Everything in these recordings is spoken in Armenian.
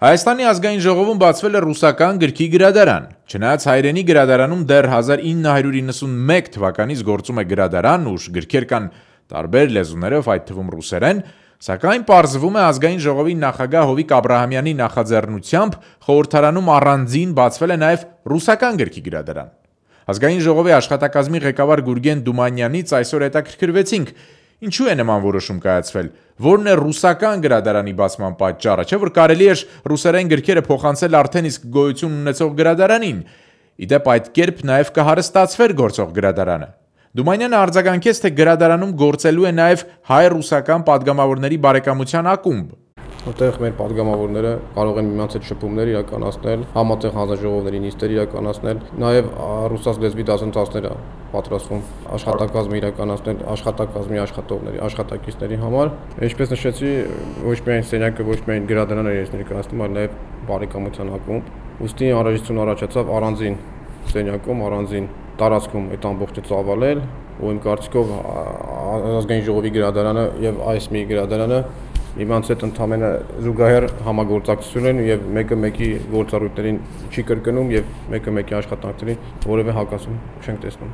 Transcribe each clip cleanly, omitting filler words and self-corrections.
Հայաստանի ազգային ժողովում բացվել է ռուսական գրքի գրադարան։ Չնայած հայրենի գրադարանում դեռ 1991 թվականից գործում է գրադարան, ուր գրքեր կան տարբեր լեզուներով, այդ թվում ռուսերեն, սակայն պարզվում է ազգային ժողովի նախագահ Հովիկ Աբրահամյանի նախաձեռնությամբ խորհրդարանում առանձին բացվել է նաև ռուսական գրքի գրադարան։ Ազգային ժողովի աշխատակազմի ղեկավար Գուրգեն Դումանյանից այսօր հետաքրքրվեցինք, ինչու է նման որոշում կայացվել, որն է ռուսական գրադարանի բացման պատճառը, չէ՞ որ կարելի էր ռուսերեն գրքերը փոխանցել արդեն իսկ գոյություն ունեցող գրադարանին, իդեպ այդ կերպ նաև կհարստացվեր գործող գրադարանը։ Դումանյանը արձագանքեց, թե գրադարանում գործելու է նաև հայ-ռուսական падգամավորների բարեկամության ակումբ։ Որտեղ մեր падգամավորները կարող են միմյանց հետ շփումներ իրականացնել, համատեղ հանձնաժողովների նիստեր իրականացնել, նաև ռուսաց լեզվի դասընթացներ պատրաստվում աշխատակազմը իրականացնել աշխատակազմի աշխատողների, աշխատակիցների համար։ Ինչպես նշեցի, ոչ միայն սենյակը, ոչ միայն գրադարանը էր ներկայացնում, այլ նաև բարեկամության ակումբ։ Ուստի անհրաժեշտություն առաջացավ առանձին սենյակում, առանձին տարածքում այդ ամբողջը ծավալել, ու իմ կարծիքով ազգային ժողովի գրադարանը եւ այս մի գրադարանը իմանց հետ ընդհանրապես զուգահեռ համագործակցություն են եւ մեկը մեկի գործառույթներին չի կրկնում եւ մեկը մեկի աշխատանքներին որևէ հակասում չենք տեսնում։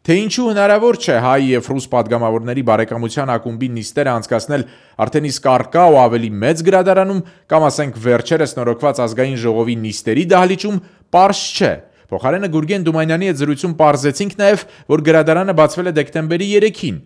Թե ինչու հնարավոր չէ հայ եւ ռուս падգամավորների բարեկամության ակումբի նիստերը անցկացնել արդեն իսկ առկա ու ավելի մեծ գրադարանում կամ ասենք վերջերս նորոգված ազգային ժողովի նիստերի դահլիճում, պարզ չէ։ Փոխարենը Գուրգեն Դումանյանի հետ զրույցում պարզեցինք նաև, որ գրադարանը բացվել է դեկտեմբերի 3-ին։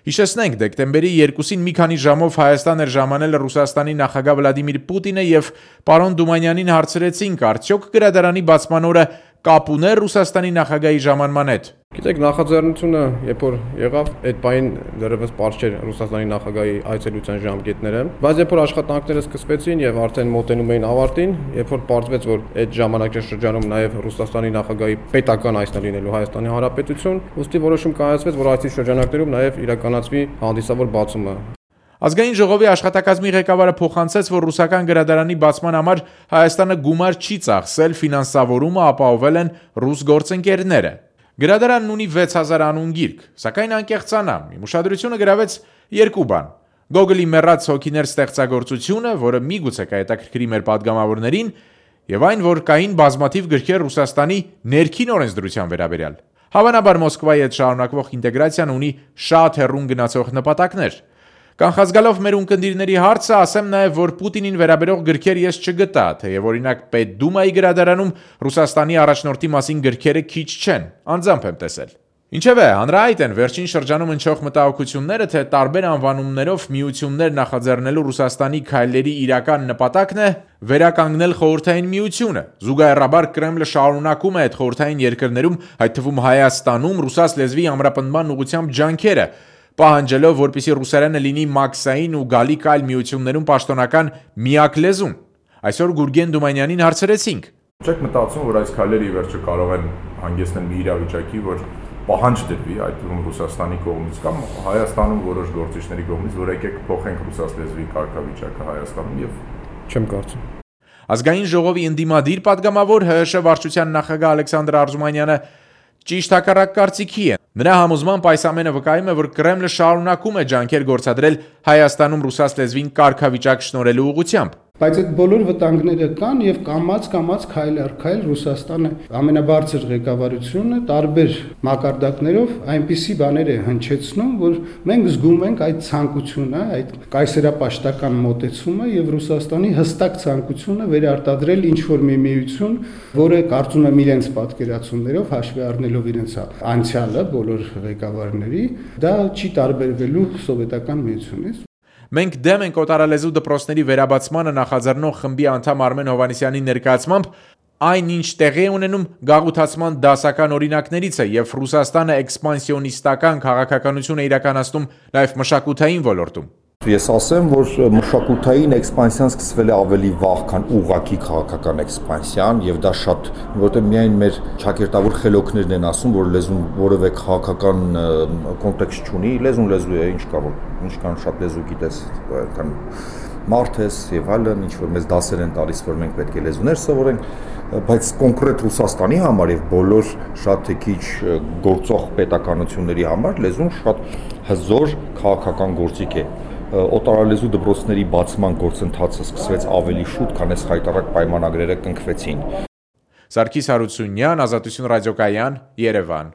Հիշեցնենք, դեկտեմբերի 2-ին մի քանի ժամով Հայաստան էր ժամանել Ռուսաստանի նախագահ Վլադիմիր Պուտինը եւ պարոն Դումանյանին հարցրեցինք, արդյոք գրադարանի բացման օրը կապ ուներ Ռուսաստանի նախագահի ժամանման հետ։ Գիտեք, նախաձեռնությունը, երբ որ եղավ, այդ պահին դեռևս պարզ չէր Ռուսաստանի նախագահի այցելության ժամկետները, բայց երբ որ աշխատանքները սկսվեցին եւ արդեն մոտենում էին ավարտին, երբ որ պարզվեց, որ այդ ժամանակաշրջանում նաեւ Ռուսաստանի նախագահի պետական այցն է լինելու Հայաստանի Հանրապետություն, ուստի որոշում կայացվեց, որ այցի շրջանակներում նաեւ իրականացվի հանդիսավոր բացումը։ Ազգային ժողովի աշխատակազմի ղեկավարը փոխանցեց, որ ռուսական գրադարանի բացման համար Հայաստանը գումար չի ծախսել, ֆինանսավորումը ապահովել են ռուս գործընկերները։ Գրադարանն ունի 6000 անուն գիրք, սակայն անկեղծանամ, իմ ուշադրությունը գրավեց երկու բան. Գոգոլի մեռած հոգիներ ստեղծագործությունը, որը միգուցե կհետաքրքրի մեր падգամավորներին, եւ այն, որ կային բազմաթիվ գրքեր Ռուսաստանի ներքին օրենսդրության վերաբերյալ։ Հավանաբար Մոսկվայի հետ շարունակվող ինտեգրացիան ունի շատ հեռուն գնացող նպատակներ։ Կանխազգալով մեր ունկնդիրների հարցը, ասեմ նաև, որ Պուտինին վերաբերող գրքեր ես չգտա, թեև օրինակ Պետդումայի գրադարանում Ռուսաստանի առաջնորդի մասին գրքերը քիչ չեն, անձամբ եմ տեսել։ Ինչևէ, հանրահայտ են վերջին շրջանում ընչող մտահոգությունները, թե տարբեր անվանումներով միություններ նախաձեռնելու Ռուսաստանի քայլերի իրական նպատակն է վերականգնել խորհրդային միությունը։ Զուգահեռաբար Կրեմլը շարունակում է այդ խորհրդային երկրներում, այդ թվում Հայաստանում, ռուսաց լեզվի ամրապնդման ուղղությամբ ջանքերը, պահանջելով, որպեսզի ռուսերենը լինի մաքսային ու գալիք այլ միություններում պաշտոնական միակ լեզուն։ Այսօր Գուրգեն Դումանյանին հարցրեցինք. Չեք մտածում, որ այս քայլերը ի վերջո կարող են հանգեցնել մի իրավիճակի, որ պահանջ դրվի, այդ թվում Ռուսաստանի կողմից կամ Հայաստանում որոշ գործիչների կողմից, որ եկեք փոխենք ռուսաց լեզվի կարգավիճակը Հայաստանում եւ չեմ կարծում։ Ազգային ժողովի ընդդիմադիր падգամավոր ՀՀՇ վարչության նախագահ Ալեքսանդր Արզումանյանը ճիշտ հակառակ կարծիքի է։ Նրա համոզմամբ այս ամենը վկայում է, որ Կրեմլը շարունակում է ջանքեր գործադրել Հայաստանում ռուսաց լեզվին կարգավիճակ շնորհելու ուղղությամբ։ Բայց այդ բոլոր վտանգները կան եւ կամաց քայլ առ քայլ Ռուսաստանը ամենաբարձր ղեկավարությունը տարբեր մակարդակներով այնպիսի բաներ է հնչեցնում, որ մենք զգում ենք այդ ցանկությունը, այդ կայսերապաշտական մոտեցումը եւ Ռուսաստանի հստակ ցանկությունը վերարտադրել ինչ որ մի միություն, որը կարծում եմ իրենց պատկերացումներով հաշվի առնելով իրենց անցյալը բոլոր ղեկավարների, դա չի տարբերվելու սովետական միությունից։ Մենք դեմ ենք օտարալեզու դպրոցների վերաբացմանը նախաձեռնող խմբի անդամ Արմեն Հովհաննիսյանի ներկայացմամբ այն ինչ տեղի է ունենում գաղութացման դասական օրինակներից է եւ Ռուսաստանը էքսպանսիոնիստական քաղաքականություն է իրականացնում նաեւ մշակութային ոլորտում։ Ես ասեմ, որ մշակութային էքսպանսիան սկսվել է ավելի վաղ, քան ուղղակի քաղաքական էքսպանսիան, եւ դա շատ, որտեղ միայն մեր ճակերտավոր խելոքներն են ասում, որ լեզուն որևէ քաղաքական կոնտեքստ չունի, լեզուն լեզու է, ինչ կա, ինչքան շատ լեզու գիտես, այդքան մարդ ես եւ այլն, ինչ որ մեզ դասեր են տալիս, որ մենք պետք է լեզուներ սովորենք, բայց կոնկրետ Ռուսաստանի համար եւ բոլոր շատ թե քիչ գործող պետականությունների համար լեզուն շատ հզոր քաղաքական գործիք է։ օտարալեզու դպրոցների բացման գործընթացը սկսվեց ավելի շուտ, քան այս հայտարարակ պայմանագրերը կնքվեցին։ Սարգիս Հարությունյան, Ազատություն ռադիոկայան, Երևան։